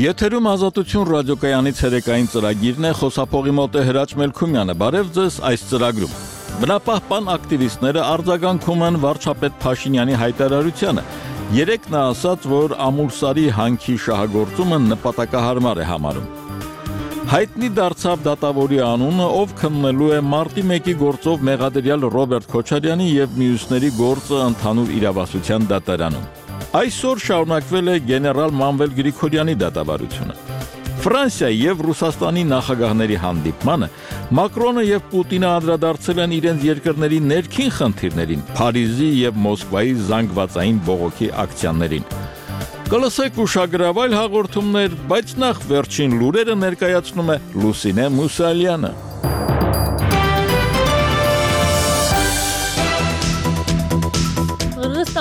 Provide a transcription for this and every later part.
Եթերում Ազատություն ռադիոկայանի ցերեկային ծրագիրն է, խոսափողի մոտ է Հրաչ Մելքումյանը։ Բարև ձեզ այս ծրագրում։ Բնապահպան ակտիվիստները արձագանքում են վարչապետ Փաշինյանի հայտարարությանը։ Երեկ նա ասաց, որ Ամուլսարի հանքի շահագործումը նպատակահարմար է համարում։ Հայտնի դարձավ դատավորի անունը, ով քննելու է մարտի 1-ի գործով մեղադրյալ Ռոբերտ Քոչարյանի եւ մյուսների գործը ընդհանուր իրավասության դատարանում։ Այսօր շարունակվել է գեներալ Մանվել Գրիգորյանի դատավարությունը։ Ֆրանսիայի եւ Ռուսաստանի նախագահների հանդիպմանը Մակրոնը եւ Պուտինը անդրադարձել են իրենց երկրների ներքին խնդիրներին, Փարիզի եւ Մոսկվայի զանգվածային բողոքի ակցիաներին։ Կլսեք ուշագրավ այլ հաղորդումներ, բայց նախ վերջին լուրերը ներկայացնում է Լուսինե Մուսալյանը։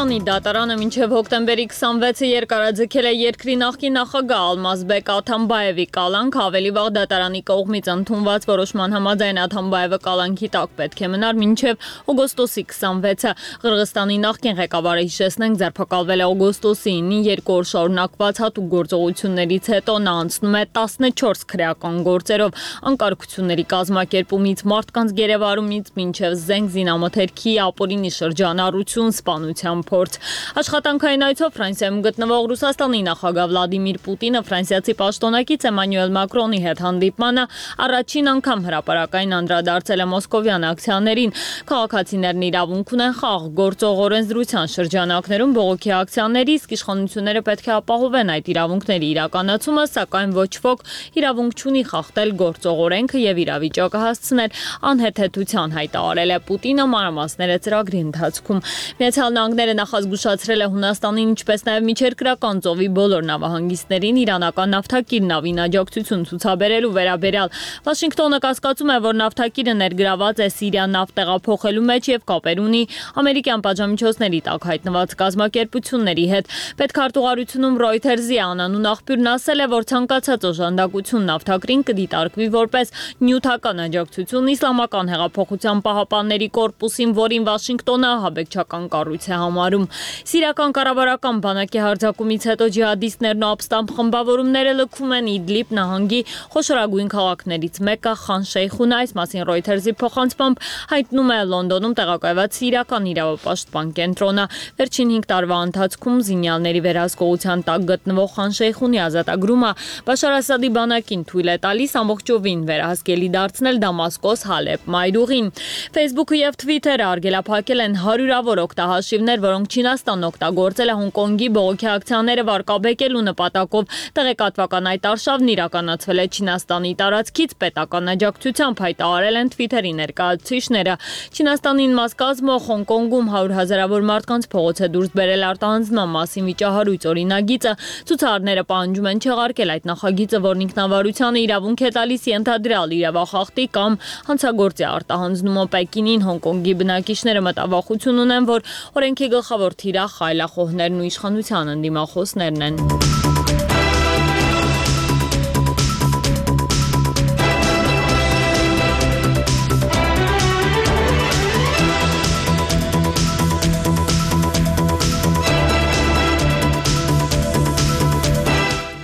Կրղստանի դատարանը մինչև հոկտեմբերի 26-ը երկարաձգել է երկրի նախկին նախագահ Ալմազբեկ Աթամբաևի կալանք, ավելի վաղ դատարանի կողմից ընդունված որոշման համաձայն Աթամբաևը կալանքի տակ պետք է մնար մինչև օգոստոսի 26-ը։ Կրղստանի նախկին ղեկավարը, հիշեցնենք, ձերբակալվել է օգոստոսի 9-ին, 2 օր շարունակված հատուկ գործողություններից հետո նա անցնում է 14 քրեական գործերով, անկարգությունների կազմակերպումից, մարդկանց գերեվարումից մինչև զենք զինամթերքի ապօրինի շրջանառություն, սպանության փորձ։ Աշխատանքային այցով Ֆրանսիայում գտնվող Ռուսաստանի նախագահ Վլադիմիր Պուտինը ֆրանսիացի պաշտոնակից Էմանուել Մակրոնի հետ հանդիպմանը առաջին անգամ հրապարակային անդրադարձել է մոսկովյան ակցիաներին։ Քաղաքացիներն իրավունք ունեն խաղ գործող օրենսդրության շրջանակներում բողոքի ակցիաների, իսկ իշխանությունները պետք է ապահովեն այդ իրավունքների իրականացումը, սակայն ոչ ոք իրավունք չունի խախտել գործող օրենքը եւ իրավիճակը հասցնել անհեթեթության, հայտարարել է Պուտինը մանրամասները ծրագրի ընթացքում։ Միացյալ Նահանգները նախազգուշացրել է Հունաստանին, ինչպես նաև միջերկրական ծովի բոլոր նավահանգիստներին իրանական նավթակիր նավին աջակցություն ցուցաբերելու վերաբերյալ։ Վաշինգտոնը կասկածում է, որ նավթակիրը ներգրաված է Սիրիան նավթ տեղափոխելու մեջ եւ կապեր ունի ամերիկյան պատժամիջոցների տակ հայտնված կազմակերպությունների հետ։ Պետքարտուղարությունում Reuters-ի անանուն աղբյուրն ասել է, որ ցանկացած օժանդակություն նավթակրին կդիտարկվի որպես նյութական աջակցություն Իսլամական հեղափոխության պահապանների կորպուսին, որին Վաշինգտոնը ահաբեկչական կառույց է համարում։ Սիրիական կառավարական բանակի հարձակումից հետո ջիհադիստներն ու ապստամբ խմբավորումները լքում են Իդլիբ նահանգի խոշորագույն քաղաքներից մեկը Խան Շեյխունը, այս մասին Reuters-ի փոխանցմամբ հայտնում է Լոնդոնում տեղակայված սիրիական իրավապաշտպան կենտրոնը։ Վերջին 5 տարվա ընթացքում զինյալների վերահսկողության տակ գտնվող Խան Շեյխունի ազատագրումը Բաշար Ասադի բանակին թույլ է տալիս ամբողջովին վերահսկելի դարձնել Դամասկոս, Հալեբ, Մայրուղին։ Facebook-ը եւ Twitter-ը արգելափակել են հարյուրավոր օգտահաշիվներ, որոնք Չինաստանն օգտագործել է Հոնկոնգի բողոքի ակցիաները վարկաբեկելու նպատակով։ Տեղեկատվական այդ արշավն իրականացվել է Չինաստանի տարածքից պետական աջակցությամբ, հայտարարել են Twitter-ի ներկայացուցիչները։ Չինաստանին մաս կազմող Հոնկոնգում 100,000-ավոր մարդկանց փողոց է դուրս բերել արտահանձնման մասին վիճահարույց օրինագիծը։ Ցուցարարները պահանջում են չեղարկել այդ նախագիծը, որն ինքնավարությանը իրավունք է տալիս ենթադրյալ իրավախախտի կամ հանցագործի արտահանձնումը Պեկինին։ Հոնկոնգի բնակիչները մտավախություն ունեն, որ օրենքի գլխավոր թիրախ խայլախոհներն ու իշխանության ընդդիմախոսներն են։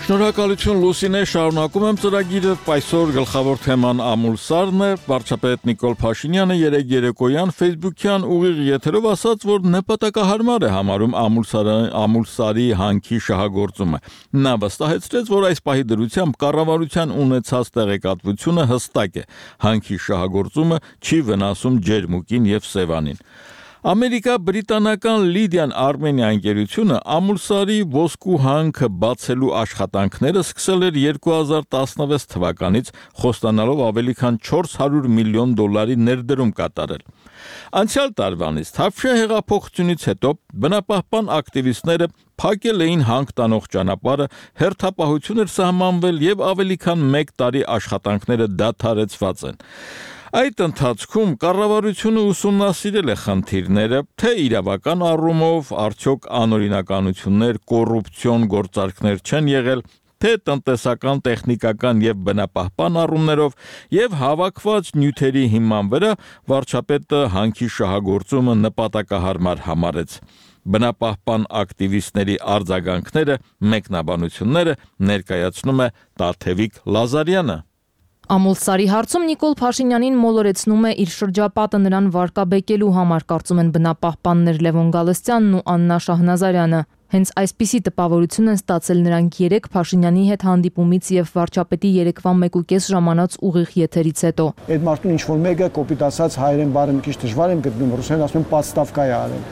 Շնորհակալություն Լուսինե, շարունակում եմ ծրագիրը։ Այսօր գլխավոր թեման Ամուլսարն է։ Վարչապետ Նիկոլ Փաշինյանը երեկ երեկոյան Facebook-յան ուղիղ եթերով ասաց, որ նպատակահարմար է համարում Ամուլսարի հանքի շահագործումը։ Նա վստահեցրեց, որ այս պահի դրությամբ կառավարության ունեցած տեղեկատվությունը հստակ է։ Հանքի շահագործումը չի վնասում ջերմուկին եւ Սևանին։ Ամերիկա-բրիտանական Լիդիան Արմենիա ընկերությունը Ամուլսարի ոսկու հանքը բացելու աշխատանքները սկսել էր 2016 թվականից, խոստանալով ավելի քան $400 միլիոն ներդրում կատարել։ Անցյալ տարվանից Թավշյա հեղափոխությունից հետո բնապահպան ակտիվիստները փակել էին հանք տանող ճանապարհը, հերթապահություն էր սահմանվել եւ ավելի քան 1 տարի աշխատանքները դադարեցված են։ Այդ ընթացքում կառավարությունը ուսումնասիրել է խնդիրները, թե իրավական առումով արդյոք անօրինականություններ, կոռուպցիոն գործարքներ չեն եղել, թե տնտեսական, տեխնիկական եւ բնապահպան առումներով եւ հավաքված նյութերի հիման վրա վարչապետը հանքի շահագործումը նպատակահարմար համարեց։ բնապահպան ակտիվիստների արձագանքները, մեկնաբանությունները ներկայացնում է Տաթևիկ Լազարյանը։ Ամուլսարի հարցում Նիկոլ Փաշինյանին մոլորեցնում է իր շրջապատը նրան վարկաբեկելու համար, կարծում են բնապահպաններ Լևոն Գալստյանն ու Աննա Շահնազարյանը։ Հենց այսպիսի տպավորություն են ստացել նրանք երեկ Փաշինյանի հետ հանդիպումից եւ վարչապետի երեկվա 1.5 ժամանոց ուղիղ եթերից հետո։ Այդ մարդուն ինչ-որ մեկը կոպիտ ասած հայերեն բառը մի քիչ դժվար եմ գտնում, ռուսերեն ասում են «պատստավկա» է արել։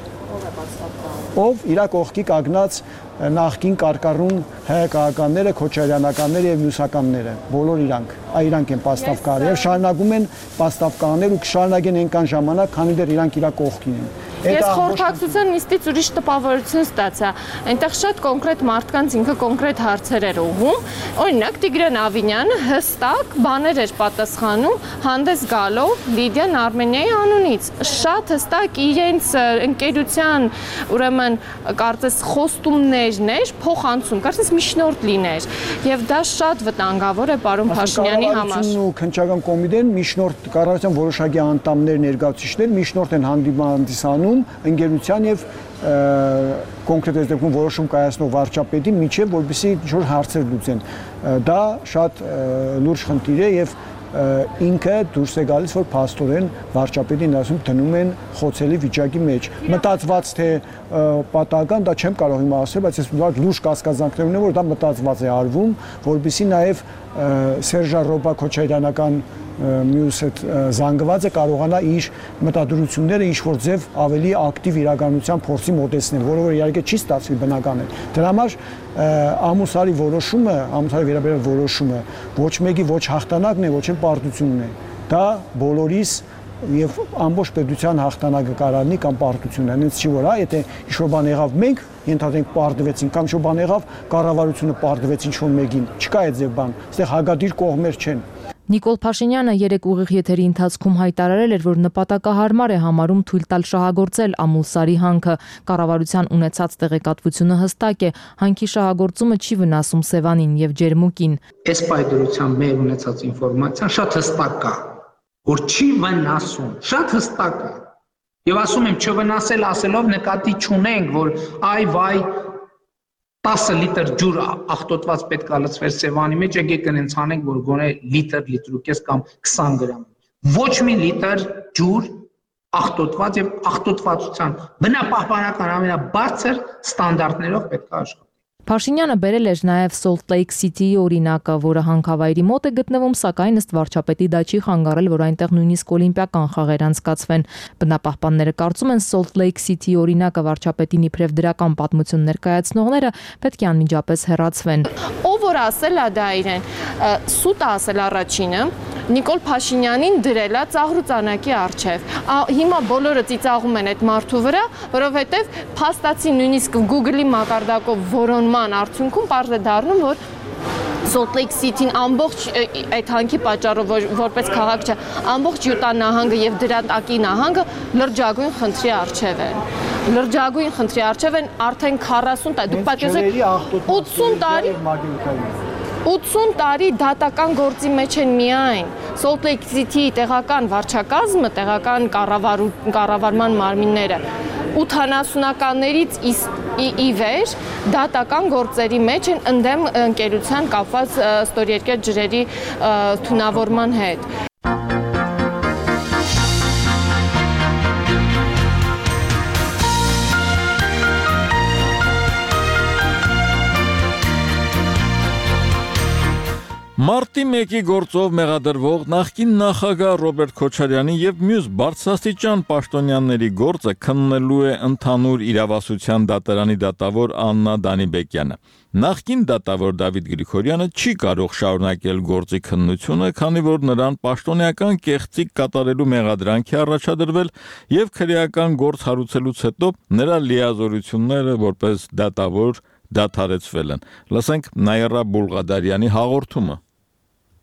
Ով իր կողքի կանգնած նախկին կարկառուն հայկականները, քոչարյանականները եւ մյուսականները, բոլոր իրանք են պաստավկա արել եւ շարունակում են պաստավկա անել ու կշարունակեն այնքան ժամանակ, քանի դեռ իրանք իր կողքին են։ Ես խորհրդակցության նիստից ուրիշ տպավորություն ստացա։ Այնտեղ շատ կոնկրետ մարդկանց ինքը կոնկրետ հարցեր էր ուղղում։ Օրինակ Տիգրան Ավինյանը հստակ բաներ էր պատասխանում հանդես գալով Լիդիան Արմենիայի անունից։ Շատ հստակ իրենց ընկերության, ուրեմն կարծես խոստումներն էր փոխանցում, կարծես միջնորդ լիներ։ Եվ դա շատ վտանգավոր է պարոն Փաշինյանի համար։ Ու քննչական կոմիտեն միջնորդ կառավարության որոշակի անդամներ ներկայացուցիչներ միջնորդ են հանդիսանում ընկերության եւ կոնկրետ դեպքում որոշում կայացնող վարչապետի միջև, որպեսզի ինչ-որ հարցեր լուծեն։ Դա շատ լուրջ խնդիր է եւ ինքը դուրս է գալիս, որ փաստորեն վարչապետին ասում դնում են խոցելի վիճակի մեջ։ Մտածված թե պատահական, դա չեմ կարող հիմա ասել, բայց ես լուրջ կասկածանքներ ունեմ, որ դա մտածված է արվում, որպեսզի նաեւ Սերժա Ռոբա Քոչարյանական մյուս այդ զանգվածը կարողանա իր մտադրությունները ինչ-որ ձև ավելի ակտիվ իրականության փորձի մոտեցնել, որը որ իհարկե չի ստացվի բնական է։ Դրա համար Ամուլսարի որոշումը, Ամուլսարի վերաբերյալ որոշումը ոչ մեկի ոչ հաղթանակն է, ոչ էլ պարտությունն է։ Դա բոլորիս եւ ամբողջ պետության հաղթանակը կարանի կամ պարտությունն է։ Հենց չի որ, եթե ինչ-որ բան եղավ մենք ենթադրենք պարտվեցին կամ ինչ-որ բան եղավ կառավարությունը պարտվեց ինչ-որ մեկին։ Չկա այդ ձև բան։ Այստեղ հագադիր կողմեր չեն։ Նիկոլ Փաշինյանը երեկ ուղիղ եթերի ընթացքում հայտարարել էր, որ նպատակահարմար է համարում թույլ տալ շահագործել Ամուլսարի հանքը։ Կառավարության ունեցած տեղեկատվությունը հստակ է, հանքի շահագործումը չի վնասում Սևանին եւ Ջերմուկին։ Այս պայդրության մեր ունեցած ինֆորմացիան շատ հստակ է, որ չի վնասում, շատ հստակ է։ Եվ ասում եմ, չվնասել ասելով նկատի չունենք, որ այ վայ 10 լիտր ջուր աղտոտված պետք է լցվեր Սևանի մեջ, եկեք այնց անենք, որ գոնե լիտր ու կես կամ 20 գրամ։ Ոչ մի լիտր ջուր աղտոտված եւ աղտոտվածության բնապահպանական ամենաբարձր ստանդարտներով պետք է աշխատի։ Փաշինյանը բերել էր նաև Salt Lake City-ի օրինակը, որը հանքավայրի մոտ է գտնվում, սակայն ըստ վարչապետի դա չի խանգարել, որ այնտեղ նույնիսկ օլիմպիական խաղեր անցկացվեն։ Բնապահպանները կարծում են Salt Lake City-ի օրինակը վարչապետին իբրև դրական պատմություն ներկայացնողները պետք է անմիջապես հեռացվեն։ Ով որ ասել է դա իրեն, սուտ ասել առաջինը, Նիկոլ Փաշինյանին դրել է ծաղրուծանակի առջև։ Հիմա բոլորը ծիծաղում են այդ մարդու վրա, որովհետև փաստացի նույնիսկ Google-ի մակարդակով որոնման արդյունքում պարզ է դառնում, որ Salt Lake City-ն ամբողջ այդ հանքի պատճառով որպես քաղաք չէ, ամբողջ Յուտա նահանգը եւ դրա տակի նահանգը լրջագույն խնդրի առջև են։ Լրջագույն խնդրի առջև են արդեն 40 տարի, դուք պատկերացրեք 80 տարի դատական գործի մեջ են միայն։ Salt Lake City-ի տեղական վարչակազմը, տեղական կառավարման մարմինները 80-ականներից ի վեր դատական գործերի մեջ են ընդդեմ ընկերության կապված ստորերկեր ջրերի թունավորման հետ։ Մարտի 1-ի գործով մեղադրվող նախկին նախագահ Ռոբերտ Քոչարյանի եւ մյուս բարձրաստիճան պաշտոնյաների գործը քննելու է ընդհանուր իրավասության դատարանի դատավոր Աննա Դանիբեկյանը։ Նախկին դատավոր Դավիթ Գրիգորյանը չի կարող շարունակել գործի քննությունը, քանի որ նրան պաշտոնեական կեղծիք կատարելու մեղադրանք է առաջադրվել եւ քրեական գործ հարուցելուց հետո նրա լիազորությունները որպես դատավոր դադարեցվել են։ Լսենք Նաիրա Բուլղադարյանի հաղորդումը։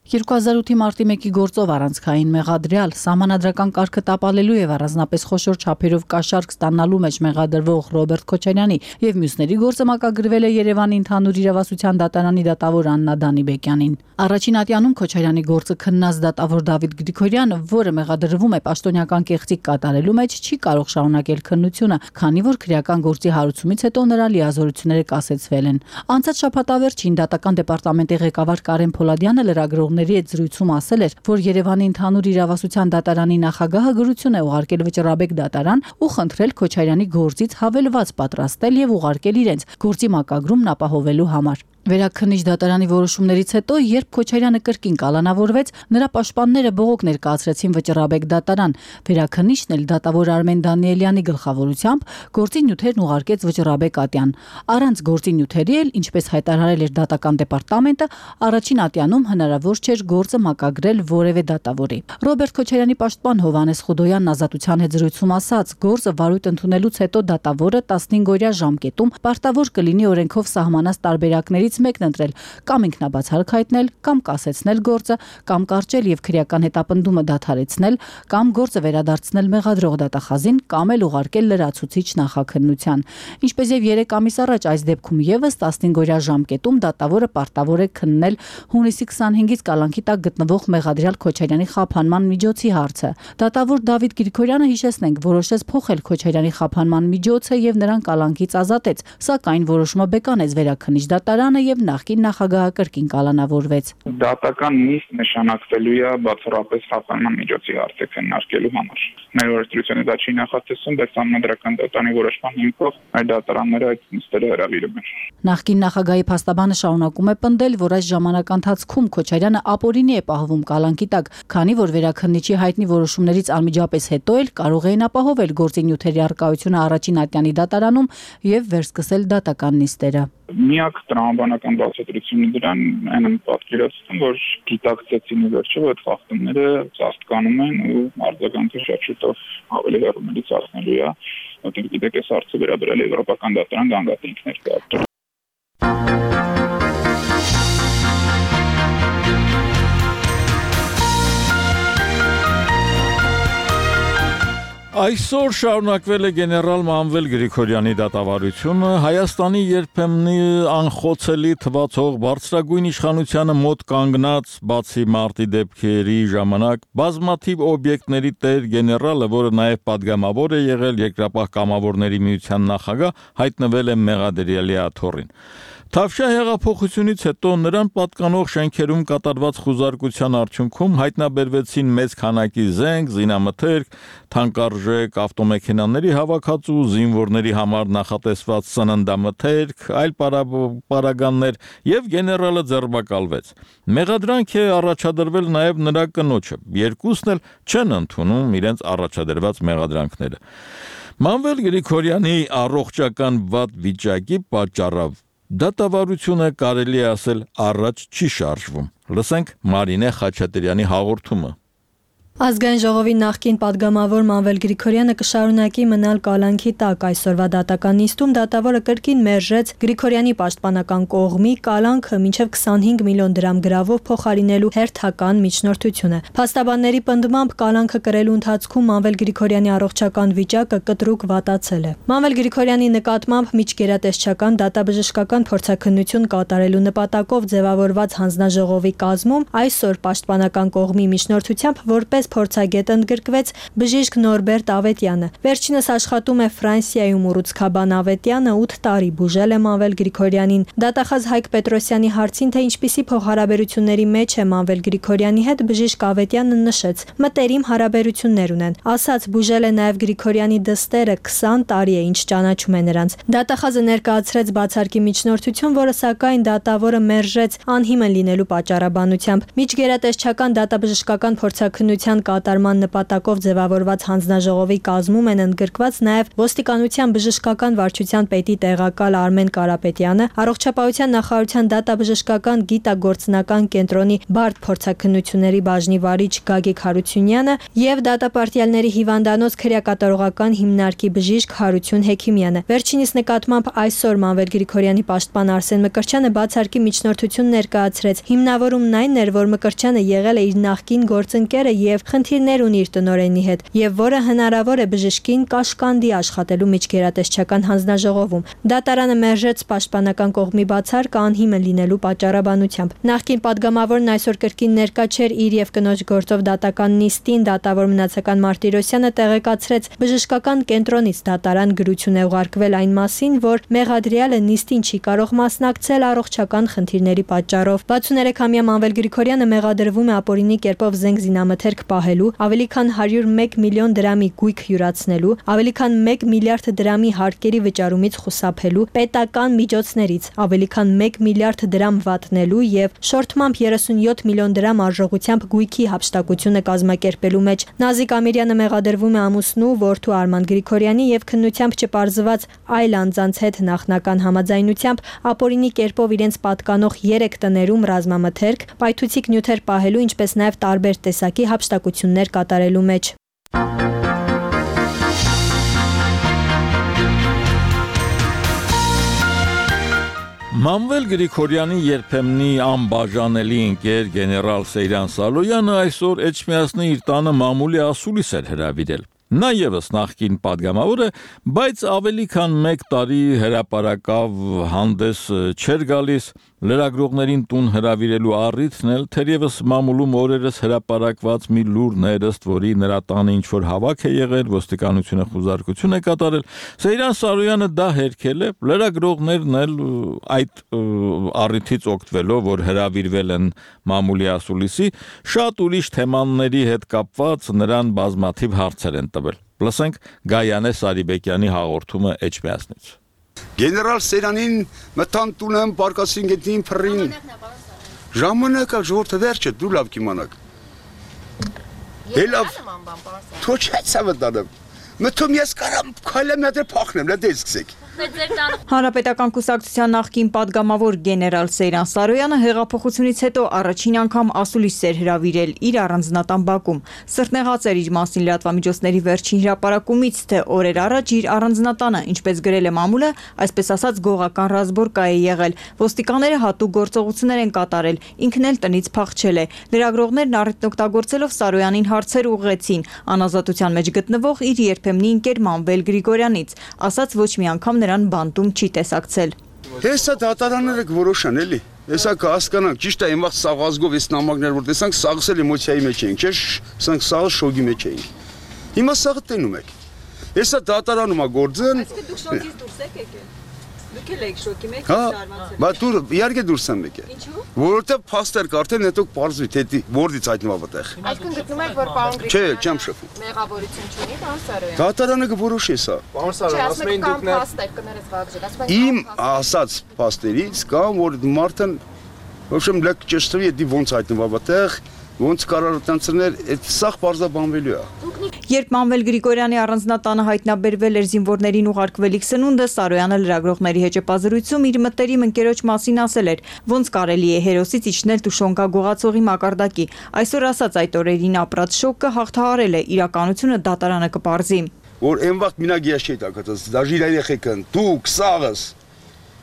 2008-ի մարտի 1-ի գործով առանցքային մեղադրյալ սահմանադրական կարգը տապալելու եւ առանձնապես խոշոր չափերով կաշառք ստանալու մեջ մեղադրվող Ռոբերտ Քոչարյանի եւ մյուսների գործը մակագրվել է Երևանի ընդհանուր իրավասության դատարանի դատավոր Աննա Դանիբեկյանին։ Առաջին ատյանում Քոչարյանի գործը քննած դատավոր Դավիթ Գրիգորյանը, որը մեղադրվում է պաշտոնյական կեղծիք կատարելու մեջ, չի կարող շարունակել քննությունը, քանի որ քրեական գործի հարուցումից հետո նրա լիազորությունները կասեցվել են։ Անցած շաբաթավերջին դատական դեպարտամենտի ղեկավար Կարեն Փոլադյանը լրագրողների հետ զրույցում ասել էր, որ Երևանի ընդհանուր իրավասության դատարանի նախագահը գրություն է ուղարկել վճռաբեկ դատարան ու խնդրել Քոչարյանի գործից հավելված պատրաստել եւ ուղարկել իրենց գործի մակագրումն ապահովելու համար։ Վերաքննիչ դատարանի որոշումներից հետո, երբ Քոչարյանը կրկին կալանավորվեց, նրա պաշտպանները բողոք ներկայացրեցին վճռաբեկ դատարան։ Վերաքննիչն էլ դատավոր Արմեն Դանիելյանի գլխավորությամբ գործի նյութերն ուղարկեց վճռաբեկ ատյան։ Առանց գործի նյութերի էլ, ինչպես հայտարարել էր դատական դեպարտամենտը, առաջին ատյանում հնարավոր չէր գործը մակագրել որևէ դատավորի։ Ռոբերտ Քոչարյանի պաշտպան Հովհաննես Խուդոյանն Ազատության հետ զրույցում ասաց, գործը վարույթ ընդունելուց հետո դատավորը 15-օրյա ժամկետում պարտավոր կլինի օրենքով սահմանած տարբերակների մեկն ընտրել, կամ ինքնաբացարկ հայտնել, կամ կասեցնել գործը, կամ կարճել եւ քրեական հետապնդումը դադարեցնել, կամ գործը վերադարձնել մեղադրող դատախազին, կամ էլ ուղարկել լրացուցիչ նախաքննության։ Ինչպես եւ 3 ամիս առաջ այս դեպքում եւս 15-օրյա ժամկետում դատավորը պարտավոր է քննել հունիսի 25-ից կալանքի տակ գտնվող մեղադրյալ Քոչարյանի խափանման միջոցի հարցը։ Դատավոր Դավիթ Գրիգորյանը, հիշեցնենք, որոշեց փոխել Քոչարյանի խափանման միջոցը եւ նրան կալանքից ազատեց, սակայն որոշումը բեկանեց վերաքննիչ դատարանը եւ նախկին նախագահը կրկին կալանավորվեց։ Դատական նիստ նշանակվելու է բացառապես խափանման միջոցի հարցը քննարկելու համար։ Մեր օրենսդրությունը դա չի նախատեսում, բայց համանդրական դատարանի որոշման հիմքով այդ դատարանները այդ նիստերը հրավիրում են։ Նախկին նախագահի փաստաբանը շարունակում է պնդել, որ այս ժամանակահատվածում Քոչարյանը ապօրինի է պահվում կալանքի տակ, քանի որ վերաքննիչի հայտնի որոշումներից անմիջապես հետո էլ կարող էին ապահովել գործի նյութերի առկայությունը առաջին ատյանի դատարանում եւ վերսկսել դատական նիստերը։ Միակ տրամաբանական բացատրությունը դրան այն պատկերացնում, որ գիտակցեցին ի վերջո, որ խախտումները ծածկանում են ու արձագանքը շատ շուտով ավելի հեռումից հասնելու է, որտեղ գիտեք, այս հարցը վերաբերել է եվրոպական դատարան գանգատենքներ կարգել։ Այսօր շարունակվել է գեներալ Մանվել Գրիգորյանի դատավարությունը Հայաստանի երբեմնի անխոցելի թվացող բարձրագույն իշխանությանը մոտ կանգնած բացի մարտի դեպքերի ժամանակ բազմաթիվ օբյեկտների տեր գեներալը, որը նաև պատգամավոր է եղել Երկրապահ կամավորների միության նախագահ, հայտնվել է մեղադրյալի աթոռին։ Թավշյա հեղափոխությունից հետո նրան պատկանող շենքերում կատարված խուզարկության արդյունքում հայտնաբերվեցին մեծ քանակի զենք, զինամթերք, թանկարժեք ավտոմեքենաների հավաքածու, զինվորների համար նախատեսված սննդամթերք, այլ պարագաններ եւ գեներալը ձերբակալվեց։ Մեղադրանք է առաջադրվել նաեւ նրա կնոջը։ Երկուսն էլ չեն ընդունում իրենց առաջադրված մեղադրանքները։ Մանվել Գրիգորյանի առողջական վատ վիճակի պատճառով դատավարությունը կարելի է ասել առաջ չի շարժվում։ Լսենք Մարինե Խաչատրյանի հաղորդումը։ Ազգային ժողովի նախկին падգամավոր Մանվել Գրիգորյանը կշարունակի մնալ կալանքի տակ։ Այսօրվա դատական նիստում դատավորը կրկին մերժեց Գրիգորյանի պաշտպանական կողմի կալանքը մինչև 25 միլիոն դրամ գրավով փոխարինելու հերթական միջնորդությունը։ Փաստաբանների պնդմամբ կալանքը կրելու ընթացքում Մանվել Գրիգորյանի առողջական վիճակը կտրուկ վատացել է։ Մանվել Գրիգորյանի նկատմամբ միջգերատեսչական դատաբժշկական փորձաքննություն կատարելու նպատակով ձևավորված հանձնաժողովի կազմում այսօր պաշտպանական կողմի միջնորդությամբ որպես փորձագետ ընդգրկվեց բժիշկ Նորբերտ Ավետյանը։ Վերջինս աշխատում է Ֆրանսիայում ու Ռուցքաբան Ավետյանը 8 տարի բուժել է Մանվել Գրիգորյանին։ Դատախազ Հայկ Պետրոսյանի հարցին, թե ինչպիսի փոխհարաբերությունների մեջ է Մանվել Գրիգորյանի հետ, բժիշկ Ավետյանը նշեց. մտերիմ հարաբերություններ ունեն։ Ասաց, բուժել է նաև Գրիգորյանի դստերը, 20 տարի է ինչ ճանաչում է նրանց։ Դատախազը ներկայացրեց բացարկի միջնորդություն, որը սակայն դատավորը մերժեց անհիմն լինելու պատճառաբանությամբ։ Միջգերատեսչական դատաբժշկական փորձաքննության կատարման նպատակով ձևավորված հանձնաժողովի կազմում են ընդգրկված նաև ոստիկանության բժշկական վարչության պետի տեղակալ Արմեն Կարապետյանը, առողջապահության նախարարության դատաբժշկական գիտագործնական կենտրոնի բարդ փորձաքննությունների բաժնի վարիչ Գագիկ Հարությունյանը եւ դատապարտյալների հիվանդանոց քրեակատարողական հիմնարկի բժիշկ Հարություն Հեքիմյանը։ Վերջինիս նկատմամբ այսօր Մանվել Գրիգորյանի պաշտպան Արսեն Մկրտչյանը բացարկի միջնորդություն ներկայացրեց։ Հիմնավորումն այն էր, որ Մկրտչյանը եղել է իր նախկին գործընկերը եւ խնդիրներ ունի իր տնօրենի հետ, եւ որը հնարավոր է բժշկին կաշկանդի աշխատելու միջգերատեսչական հանձնաժողովում։ Դատարանը մերժեց պաշտպանական կողմի բացարկը անհիմն լինելու պատճառաբանությամբ։ Նախկին падգամավորն այսօր կրկին ներկա չէր իր եւ կնոջ գործով դատական նիստին, դատավոր մնացական Մարտիրոսյանը տեղեկացրեց բժշկական կենտրոնից դատարան գրություն է ուղարկվել այն մասին, որ մեղադրյալը նիստին չի կարող մասնակցել առողջական խնդիրների պատճառով։ 63-ամյա Մանվել Գրիգորյանը մեղադրվում է ապօրինի կերպով զենք զինամթերք պահելու, ավելի քան 101 միլիոն դրամի գույք յուրացնելու, ավելի քան 1 միլիարդ դրամի հարկերի վճարումից խուսափելու, պետական միջոցներից ավելի քան 1 միլիարդ դրամ վատնելու եւ շորթմամբ 37 միլիոն դրամ արժողությամբ գույքի հափշտակությունը կազմակերպելու մեջ։ Նազիկ Ամիրյանը մեղադրվում է ամուսնու, որդու Արման Գրիգորյանի եւ քննությամբ չպարզված այլ անձանց հետ նախնական համաձայնությամբ ապօրինի կերպով իրենց պատկանող 3 տներում ռազմամթերք, պայթուցիկ նյութեր պահելու, ինչպես նաեւ տարբեր տեսակի հափշտակություններ կատարելու մեջ։ Մանվել Գրիգորյանի երբեմնի անբաժանելի ընկեր գեներալ Սեյրան Սալոյանը այսօր Էջմիածնի իր տանը մամուլի ասուլիս էր հրավիրել։ Նա եւս նախկին падգամավոր է, բայց ավելի քան 1 տարի հրապարակավ հանդես չէր գալիս, լրագրողներին տուն հրավիրելու առիթն էլ թերևս մամուլում օրերս հրապարակված մի լուրն էր, ըստ որի նրա տանը ինչ-որ հավաք է եղել, ոստիկանությունը խուզարկություն է կատարել։ Սեյրան Սարոյանը դա հերքել է, լրագրողներն էլ այդ առիթից օգտվելով, որ հրավիրվել են մամուլի ասուլիսի, շատ ուրիշ թեմաների հետ կապված նրան բազմաթիվ հարցեր են տվել։ Լսենք Գայանե Սարիբեկյանի հաղորդումը Էջմիածնից։ Գեներալ Սերանին մտան տունեմ պարկասին գետին փռին։ Ժամանակը ժողովուրդը վերջը դու լավ կիմանաք։ Լավ։ Թո չեցա վտանեմ։ Մտում ես կարամ քայլեմ դեր փախնեմ, լա դե սկսեք։ Հանրապետական կուսակցության նախկին падգամավոր գեներալ Սեյրան Սարոյանը հեղափոխությունից հետո առաջին անգամ ասուլիս էր հրավիրել իր առանձնատան բակում։ Սրտնեղած էր իր մասին լրատվամիջոցների վերջին հրապարակումից, թե օրեր առաջ իր առանձնատանը, ինչպես գրել է մամուլը, այսպես ասած գողական ռազմորկա է եղել։ Ոստիկանները հատուկ գործողություններ են կատարել, ինքն էլ տնից փախչել է։ Լրագրողներն առիթն օգտագործելով Սարոյանին հարցեր ուղղեցին անազատության մեջ գտնվող իր երբեմնի ընկեր Մանվել Գրիգորյանից, ասաց ոչ մի անգամ նրան բանտում չի տեսակցել։ Հեսա դատարանները կորոշան էլի։ Հեսա կհասկանանք, ճիշտ է, իմ վաղ սաղ ազգով էս նամակներ որ տեսանք, սաղս էլ էմոցիայի մեջ էինք, չէ՞, սանք սաղը շոգի մեջ էինք։ Հիմա սաղը տենում եք։ Հեսա դատարանում է գործն։ Այսինքն դուք շոգից դուրս եք եկել։ Դուք էլ եք շոկի մեջ զարմացել։ Բա դու իհարկե դուրս եմ եկել։ Ինչու՞։ Որովհետև փաստեր կարդեն, հետո պարզվի, թե որից հայտնվա այդտեղ։ Այսինքն գտնում եք, որ պարոն Չէ, չեմ շփվում։ մեղավորություն չունի, պարոն Սարոյան։ Դատարանը կորոշի սա։ Պարոն Սարոյան, ասում եք կամ փաստեր կներես վաղժել, ասում եք Իմ ասած փաստերից կամ որ մարդն ոչմ լեկ ճշտվի, դի ոնց հայտնվա այդտեղ, ոնց կարող տանցներ, այդ սաղ բարձաբանվելու է։ Երբ Մանվել Գրիգորյանի առանձնատանը հայտնաբերվել էր զինվորներին ուղարկվելիք սնունդը, Սարոյանը լրագրողների հեճեպազրույցում իր մտերիմ ընկերոջ մասին ասել էր, ոնց կարելի է հերոսից իջնել Տուշոնկա գողացողի մակարդակի։ Այսօր ասած այդ օրերին ապրած շոկը հաղթահարել է, իրականությունը դատարանը կպարզի։ Որ այն վաղ մինագի չի տակած, դաժի երեխեքն, դուք, սաղս,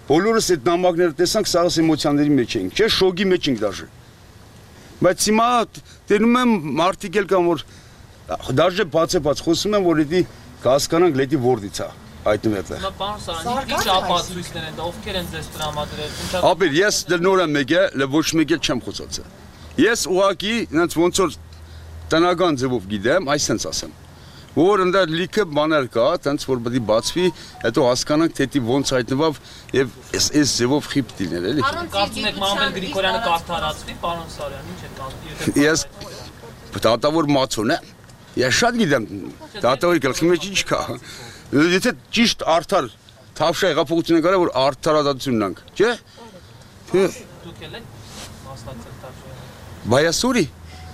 բոլորս այդ նամակները տեսանք, սաղս էմոցիաների մեջ էինք, չէ, շոկի մեջ ենք դաժե։ Բայց հիմա տենում եմ մարդիկ էլ կան, որ դաժե բացեպած խոսում եմ, որ էդի կհասկանանք լետի որդից է հայտնվել այդտեղ։ Պարոն Սարոյան, ինչ ապացույցներ են, ովքեր են ձեզ տրամադրել։ Ապեր, ես նոր եմ եկել, ոչ մեկ էլ չեմ խոսացել։ Ես ուղղակի ինձ ոնց որ տնական ձևով գիտեմ, այսպես ասեմ։ Որ ընդ լիքը բաներ կա, տենց որ պետք է բացվի, հետո հասկանանք թե դի ոնց հայտնվավ եւ այս ձևով խիփ դիներ էլի։ Կարծում եք Մանվել Գրիգորյանը կարդարացվի, պարոն Սարոյան, ինչ է կարծում։ Ես դատավոր մացուն եմ։ Ես շատ գիտեմ, դատավորի գլխի մեջ ինչ կա։ Եթե ճիշտ արդար թավշա հեղափոխությունը կարա որ արդարադատությունն անք, չէ՞։ Դուք եք մասնակցել թավշային։ Բայասուրի։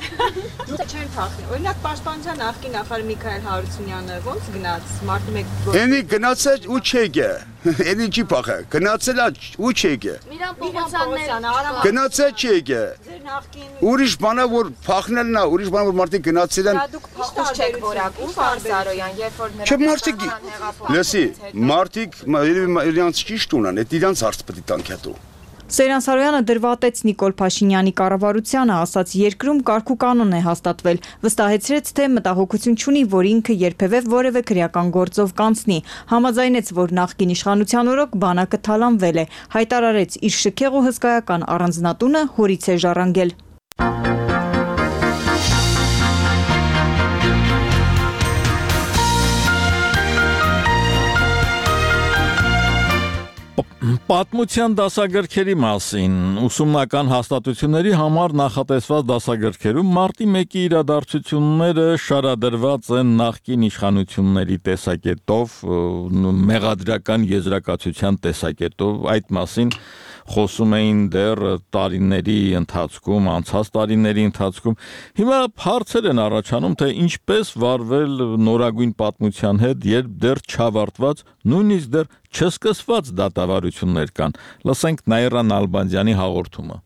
Չեն փախնի։ Օրինակ պաշտպանության նախկին նախարար Միքայել Հարությունյանը ո՞նց գնաց մարտի 1 Էնի գնացել ու չեկե։ Էնի չի փախը։ Գնացել ու չեկե։ Միրան Պողոսյանն Գնացել չեկե։ ձեր նախկին Ուրիշ բանա որ փախնելն է, ուրիշ բանա որ մարդիկ գնացել են։ դուք փախուս չեք որակում Սարոյան, երբ որ Չէ մարդիկ։ Լսի, մարդիկ իրանց ճիշտ ունեն, այդ իրանց հարց պետք է տանք հետո։ Սերան Սարոյանը դրվատեց Նիկոլ Փաշինյանի կառավարությանը, ասաց երկրում կարգ ու կանոն է հաստատվել, վստահեցրեց, թե մտահոգություն չունի, որ ինքը երբևէ որևէ քրեական գործով կանցնի, համաձայնեց, որ նախկին իշխանության օրոք բանակը թալանվել է, հայտարարեց իր շքեղ ու հսկայական առանձնատունը հորից է ժառանգել։ Պատմության դասագրքերի մասին ուսումնական հաստատությունների համար նախատեսված դասագրքերում մարտի 1-ի իրադարձությունները շարադրված են նախկին իշխանությունների տեսակետով, մեղադրական եզրակացության տեսակետով, այդ մասին խոսում էին դեռ տարիների ընթացքում, անցած տարիների ընթացքում։ Հիմա հարցեր են առաջանում, թե ինչպես վարվել նորագույն պատմության հետ, երբ դեռ չավարտված, նույնիսկ դեռ չսկսված դատավարություններ կան։ Լսենք Նաիրա Նալբանդյանի հաղորդումը։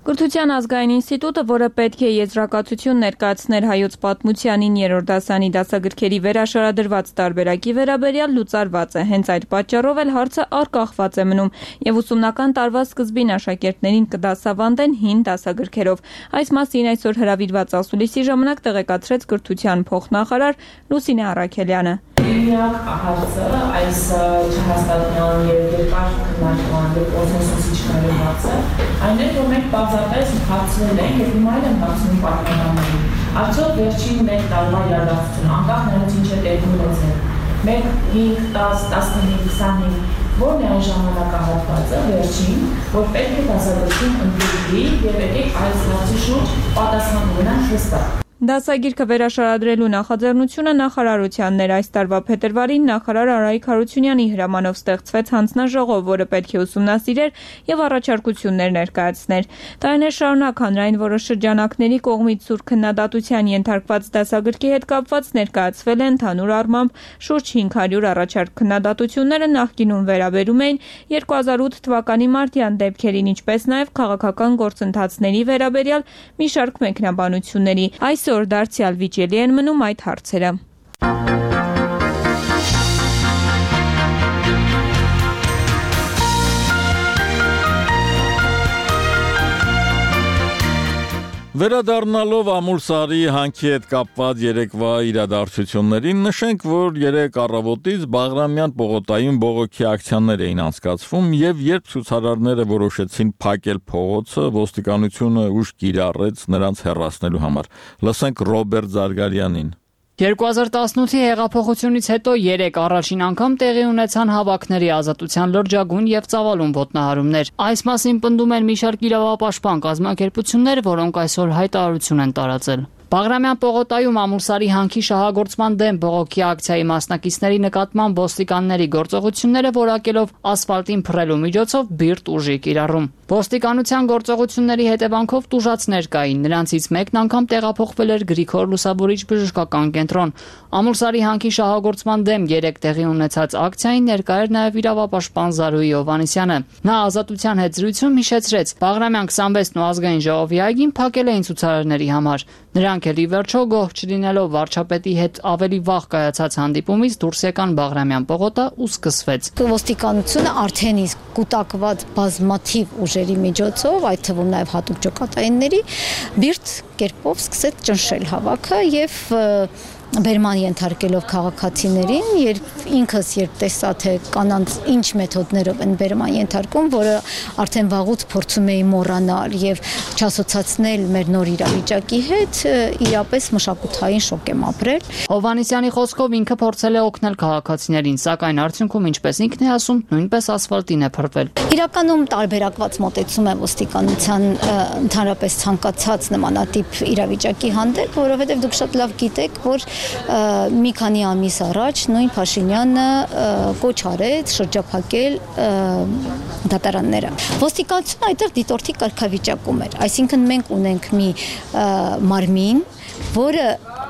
Կրթության ազգային ինստիտուտը, որը պետք է եզրակացություն ներկայացներ հայոց պատմությանին 3-րդ դասանի դասագրքերի վերաշարադրված տարբերակի վերաբերյալ լուծարված է, հենց այդ պատճառով էլ հարցը առկախված է մնում եւ ուսումնական տարվա սկզբին աշակերտներին կդասավանդեն հին դասագրքերով։ Այս մասին այսօր հրավիրված ասուլիսի ժամանակ տեղեկացրեց կրթության փոխնախարար Լուսինե Առաքելյանը։ Միակ հարցը այս չհաստատման եւ երկար քննարկման եւ կոնսենսուսի չկայացումը այն է, որ մենք բացապես հարցնել ենք եւ հիմա էլ ենք հարցնում պատմականներին։ Արդյոք վերջին 1 տարվա իրադարձություն անկախ նրանից ինչ է տեղի ունեցել 1, 5, 10, 15, 25 որն է այն ժամանակահատվածը վերջին, որ պետք է դասագրքին ընդգրկվի եւ եկեք այս հարցի շուրջ պատասխան ունենանք հստակ։ Դասագիրքը վերաշարադրելու նախաձեռնությունը նախարարությանն էր։ Այս տարվա փետրվարին նախարար Արայիկ Հարությունյանի հրամանով ստեղծվեց հանձնաժողով, որը պետք է ուսումնասիրեր եւ առաջարկություններ ներկայացներ։ Տարիներ շարունակ հանրային որոշ շրջանակների կողմից սուր քննադատության ենթարկված դասագրքի հետ կապված ներկայացվել են ընդհանուր առմամբ շուրջ 500 առաջարկ քննադատությունները նախկինում վերաբերում էին 2008 թվականի մարտյան դեպքերին, ինչպես նաեւ քաղաքական գործընթացների վերաբերյալ մի շարք մեկնաբանությունների։ Այսօր դարձյալ վիճելի են մնում այդ հարցերը։ Վերադառնալով Ամուլսարի հանքի հետ կապված երեկվա իրադարձություններին, նշենք, որ երեկ առավոտից Բաղրամյան պողոտայում բողոքի ակցիաներ էին անցկացվում եւ երբ ցուցարարները որոշեցին փակել փողոցը, ոստիկանությունը ուժ կիրառեց նրանց հեռացնելու համար։ Լսենք Ռոբերտ Զարգարյանին։ 2018-ի հեղափոխությունից հետո 3 առաջին անգամ տեղի ունեցան հավաքների ազատության լրջագույն եւ ծավալուն ոտնահարումներ։ Այս մասին պնդում են մի շարք իրավապաշտպան կազմակերպություններ, որոնք այսօր հայտարարություն են տարածել։ Բաղրամյան պողոտայում Ամուլսարի հանքի շահագործման դեմ բողոքի ակցիայի մասնակիցների նկատմամբ ոստիկանների գործողությունները որակելով ասֆալտին փռելու միջոցով բիրտ ուժի կիրառում։ Ոստիկանության գործողությունների հետևանքով տուժածներ կային, նրանցից մեկն անգամ տեղափոխվել էր Գրիգոր Լուսավորիչ բժշկական կենտրոն։ Ամուլսարի հանքի շահագործման դեմ 3 տեղի ունեցած ակցիային ներկա էր նաև իրավապաշտպան Զարուհի Հովհաննիսյանը։ Նա ազատության հետ զրույցում հիշեցրեց, Բաղրամյան 26-ն ու ազգային ժողովի այգին փակել էին ցուցարարների համար։ Նրանք էլ ի վերջո գոհ չլինելով վարչապետի հետ ավելի վաղ կայացած հանդիպումից դուրս եկան Բաղրամյան պողոտա ու սկսվեց։ Ոստիկանությունը արդեն իսկ կուտակված բազմաթիվ ուժերի միջոցով, այդ թվում նաև հատուկ ջոկատայինների, բիրտ կերպով սկսեց ճնշել հավաքը եւ բերման ենթարկելով քաղաքացիներին, երբ տեսա թե կանանց ինչ մեթոդներով են բերման ենթարկում, որը արդեն վաղուց փորձում էի մոռանալ եւ չասոցացնել մեր նոր իրավիճակի հետ, իրապես մշակութային շոկ եմ ապրել։ Հովհաննիսյանի խոսքով ինքը փորձել է օգնել քաղաքացիներին, սակայն արդյունքում, ինչպես ինքն է ասում, նույնպես ասֆալտին է փռվել։ Իրականում տարբերակված մոտեցում է ոստիկանության ընդհանրապես ցանկացած նմանատիպ իրավիճակի հանդեպ, որովհետեւ դուք շատ լավ գիտեք, որ մի քանի ամիս առաջ նույն Փաշինյանը կոչ արեց շրջափակել դատարանները։ Ոստիկանությունը այդտեղ դիտորդի կարգավիճակում էր, այսինքն մենք ունենք մի մարմին, որը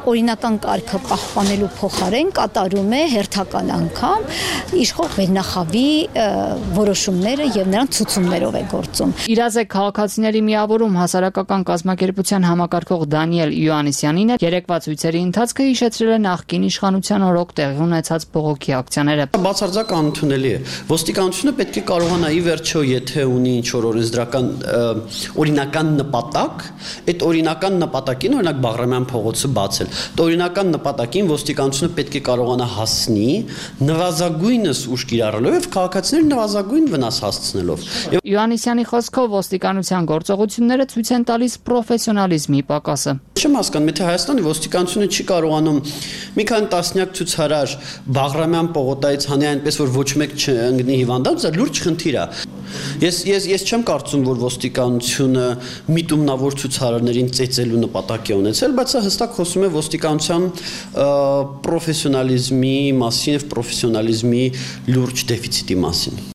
օրինական կարգը պահպանելու փոխարեն կատարում է հերթական անգամ իշխող վերնախավի որոշումները եւ նրան ցուցումներով է գործում։ Իրազեկ քաղաքացիների միավորում հասարակական կազմակերպության համակարգող Դանիել Յոաննիսյանին երեկվա ցույցերի ընթացքը հիշեցրել է նախկին իշխանության օրոք տեղի ունեցած բողոքի ակցիաները։ Բացարձակ անընդունելի է։ Ոստիկանությունը պետք է կարողանա ի վերջո, եթե ունի ինչ-որ օրինական նպատակ, այդ օրինական նպատակին օրինակ Բաղրամյան փողոցը բացել։ Օրինական նպատակին ոստիկանությունը պետք է կարողանա հասնի նվազագույնս ուժ կիրառելով եւ քաղաքացիներին նվազագույն վնաս հասցնելով։ Յոաննիսյանի խոսքով ոստիկանության գործողությունները ցույց են տալիս պրոֆեսիոնալիզմի պակասը։ Չեմ հասկանում, եթե Հայաստանի ոստիկանությունը չի կարողանում մի քանի տասնյակ ցուցարար Բաղրամյան պողոտայից հանի այնպես որ ոչ մեկ չընկնի հիվանդանոց, դա լուրջ խնդիր է։ Ես չեմ կարծում, որ ոստիկանությունը միտումնավոր ցուցարարներին ծեծելու նպատակ է ունեցել, բայց սա հստակ խոսում է ոստիկանության պրոֆեսիոնալիզմի մասին եւ պրոֆեսիոնալիզմի լուրջ դեֆիցիտի մասին։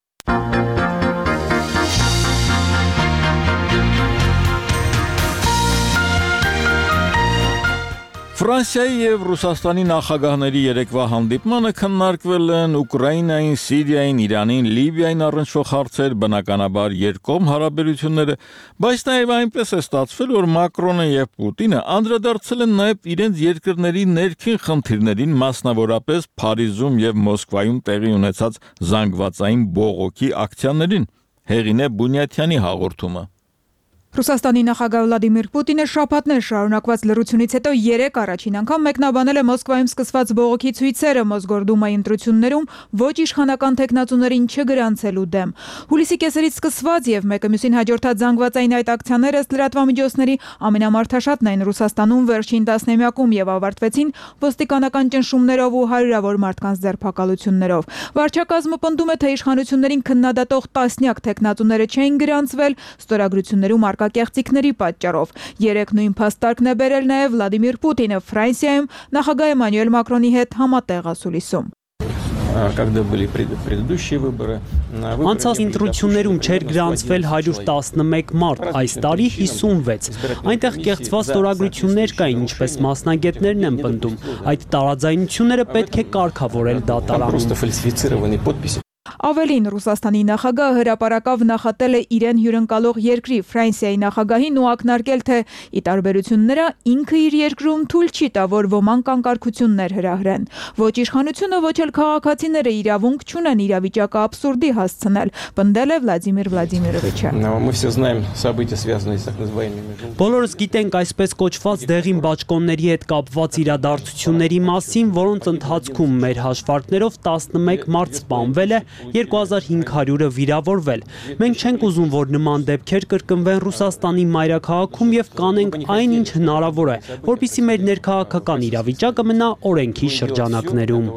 Ֆրանսիայի եւ Ռուսաստանի նախագահների երեկվա հանդիպմանը քննարկվել են Ուկրաինային, Սիրիային, Իրանին, Լիբիային առնչվող հարցեր, բնականաբար երկկողմ հարաբերությունները, բայց նաեւ այնպես է ստացվել, որ Մակրոնը եւ Պուտինը անդրադարձել են նաեւ իրենց երկրների ներքին խնդիրներին, մասնավորապես Փարիզում եւ Մոսկվայում տեղի ունեցած զանգվածային բողոքի ակցիաներին։ Հեղին է Բունյաթյանի հաղորդումը։ Ռուսաստանի նախագահ Վլադիմիր Պուտինը շաբաթներ շարունակված լռությունից հետո 3 առաջին անգամ մեկնաբանել է Մոսկվայում սկսված բողոքի ցույցերը Մոսգորդումայի ընտրություններում ոչ իշխանական տեխնացուներին չգրանցելու դեմ։ Հուլիսի կեսերից սկսված եւ մեկը մյուսին հաջորդած զանգվածային այդ ակցիաները ըստ լրատվամիջոցների ամենամարդաշատն էին Ռուսաստանում վերջին տասնամյակում եւ ավարտվեցին ոստիկանական ճնշումներով ու հարյուրավոր մարդկանց ձերբակալություններով։ Վարչակազմը պնդում է, թե իշխանություններին քննադատող տասնյակ տեխնացուները չէին գրանցվել ստորագրություններում կեղծիքների պատճառով։ Երեք նույն փաստարկն է բերել նաև Վլադիմիր Պուտինը Ֆրանսիայում նախագահ Էմանուել Մակրոնի հետ համատեղ ասուլիսում։ Անցած ընտրություններում չէր գրանցվել 111 մարդ, այս տարի 56։ Այնտեղ կեղծված ստորագրություններ կային, ինչպես մասնագետներն են պնդում։ Այդ տարաձայնությունները պետք է կարգավորել դատարանում։ Ավելին, Ռուսաստանի նախագահը հրապարակավ նախատել է իրեն հյուրընկալող երկրի Ֆրանսիայի նախագահին ու ակնարկել, թե ի տարբերություն նրա ինքը իր երկրում թույլ չի տա, որ ոմանք անկարգություններ հրահրեն։ Ոչ իշխանությունը, ոչ էլ քաղաքացիները իրավունք չունեն իրավիճակը աբսուրդի հասցնել, պնդել է Վլադիմիր Վլադիմիրովիչը։ Բոլորս գիտենք այսպես կոչված դեղին բաճկոնների հետ կապված իրադարձությունների մասին, որոնց ընթացքում մեր հաշվարկներով 11 մարդ սպանվել է, 2500-ը վիրավորվել։ Մենք չենք ուզում, որ նման դեպքեր կրկնվեն Ռուսաստանի մայրաքաղաքում եւ կանենք այն, ինչ հնարավոր է, որպեսզի մեր ներքաղաքական իրավիճակը մնա օրենքի շրջանակներում։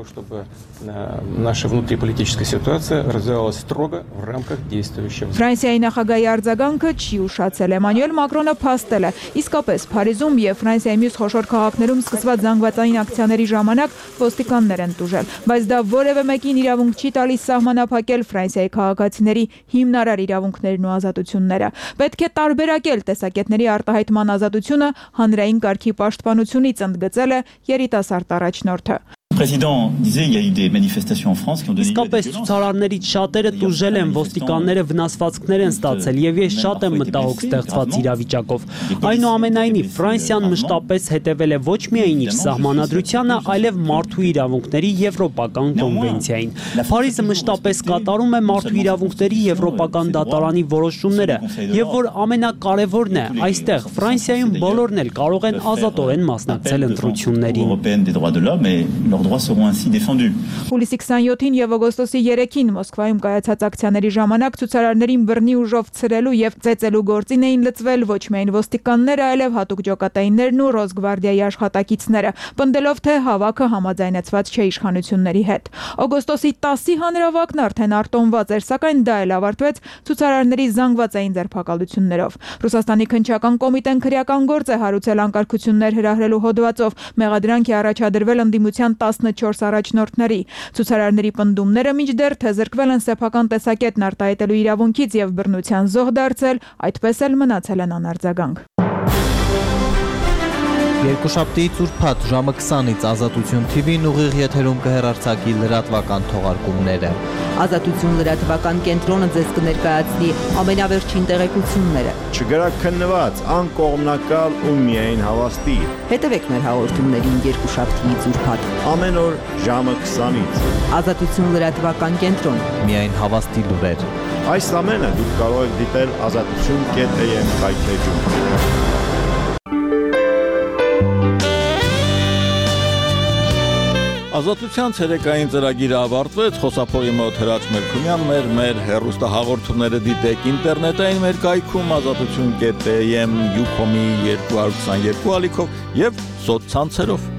Ֆրանսիայի նախագահի արձագանքը չի ուշացել։ Էմանուել Մակրոնը փաստել է, իսկապես Փարիզում եւ Ֆրանսիայի մյուս խոշոր քաղաքներում սկսված զանգվածային ակցիաների ժամանակ ոստիկաններ են տուժել, բայց դա որևէ մեկին իրավունք չի տալիս սահմանափակել Ֆրանսիայի քաղաքացիների հիմնարար իրավունքներն ու ազատությունները։ Պետք է տարբերակել տեսակետների արտահայտման ազատությունը հանրային կարգի պաշտպանությունից, ընդգծել է երիտասարդ առաջնորդը։ Իսկապես ցուցարարներից շատերը տուժել են, ոստիկանները վնասվածքներ են ստացել եւ ես շատ եմ մտահոգ ստեղծված իրավիճակով։ Այնուամենայնիվ Ֆրանսիան մշտապես հետևել է ոչ միայն իր սահմանադրությանը, այլև մարդու իրավունքների եվրոպական կոնվենցիային։ Փարիզը մշտապես կատարում է մարդու իրավունքների եվրոպական դատարանի որոշումները եւ որ ամենակարևորն է, այստեղ Ֆրանսիայում բոլորն էլ կարող են ազատորեն մասնակցել ընտրություններին։ droits seront ainsi défendus. Հուլիսի 27-ին եւ օգոստոսի 3-ին Մոսկվայում կայացած ակցիաների ժամանակ ցուցարարներին բռնի ուժով ցրելու եւ ծեծելու գործին էին լծվել ոչ միայն ոստիկանները, այլև հատուկ ջոկատայիններն ու Ռոսգվարդիայի աշխատակիցները, պնդելով թե հավաքը համաձայնեցված չէ իշխանությունների հետ։ Օգոստոսի 10-ի հանրավակն արդեն արտոնված էր, սակայն դա էլ ավարտվեց ցուցարարների զանգվածային ձերբակալություններով։ Ռուսաստանի քննչական կոմիտեն քրեական գործ է հարուցել անկարգություններ հրահրելու հոդվածով, մեղադրանք է առաջադրվել ընդդիմության 14 առաջնորդների։ Ցուցարարների պնդումները մինչդեռ թե զրկվել են սեփական տեսակետն արտահայտելու իրավունքից եւ բռնության զոհ դարձել, այդպես էլ մնացել են անարձագանք։ Երկուշաբթիից ուրբաթ ժամը 20-ից Ազատություն TV-ն ուղիղ եթերում կհեռարձակի լրատվական թողարկումները։ Ազատություն լրատվական կենտրոնը ձեզ կներկայացնի ամենավերջին տեղեկությունները։ Չգրաքննված, անկողմնակալ ու միայն հավաստի։ Հետևեք մեր հաղորդումներին երկուշաբթիից ուրբաթ ամեն օր ժամը 20-ից։ Ազատություն լրատվական կենտրոն։ Միայն հավաստի լուրեր։ Այս ամենը դուք կարող եք դիտել azatutun.am հայթեջում։ Ազատության ցերեկային ծրագիրը ավարտվեց, խոսափողի մոտ Հրաչ Մելքումյանն մեր հեռուստահաղորդումները դիտեք ինտերնետային մեր կայքում azatutun.am, Ucom-ի 222 ալիքով եւ սոցցանցերով։